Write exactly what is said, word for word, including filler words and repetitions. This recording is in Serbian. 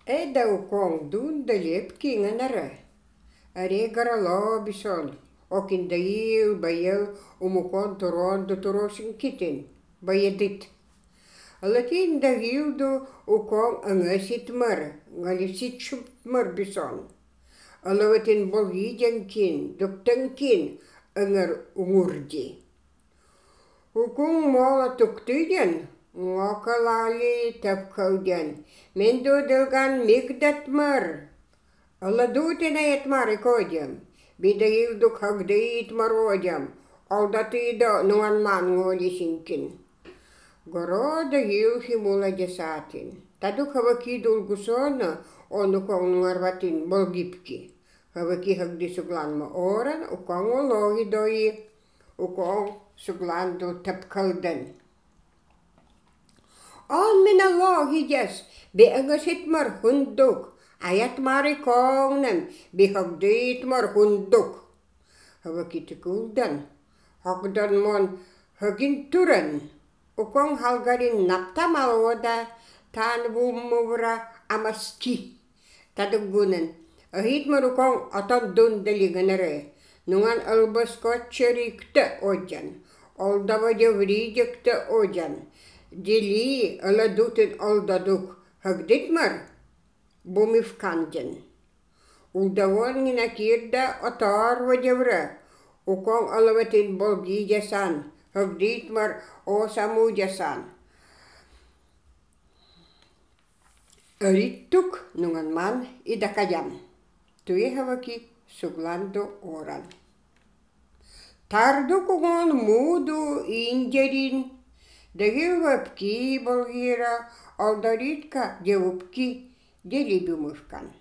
Эда укон дун далеп кинганара. Аре гарало бison. Окин даил баял умукон турон до турошин китин. Баядит. Алатин дагил до укон ангасит мар. Галисит шуп мар бison. Алаватин болгидян кин, доктан кин ангар умурди. Укун мола туктыдян. Ngokалали тапкаудян. Мен додылган мигдатмар. Аладутина етмар икодям. Бидаилду хагдыит мародям. Алдатыда нуан манголи синкин. Города юхи мула десатин. Таду хаваки дулгусона ону конгуарватин болгипки. Хаваки хагди сугланма оран, укон ологи дои, укон сугланду тапкаудан. On minä lohijas, be angasit mar hunduk, ajat mari kongnem, be hagdit mar hunduk. Havakit kuldan, hagdan mon hagin turan, ukong halgarin napta maloda, tan vumuvra amaski. Tadugunan, ahit mar ukong atan dundaliganare, nungan albaskotcherikte ojan, oldavaja vrijekte ojan. Дели аладутен алдадук хагдитмар бумивканден. Улдавон гина кирда атар вадевра. Укон алаватин болги жасан. Хагдитмар осаму жасан. Риттук нунган ман идакаям. Туехаваки сугландо оран. Тардук угон муду инджерин. Дагилвапки болгира, алдаритка девупки, делибюмушкан.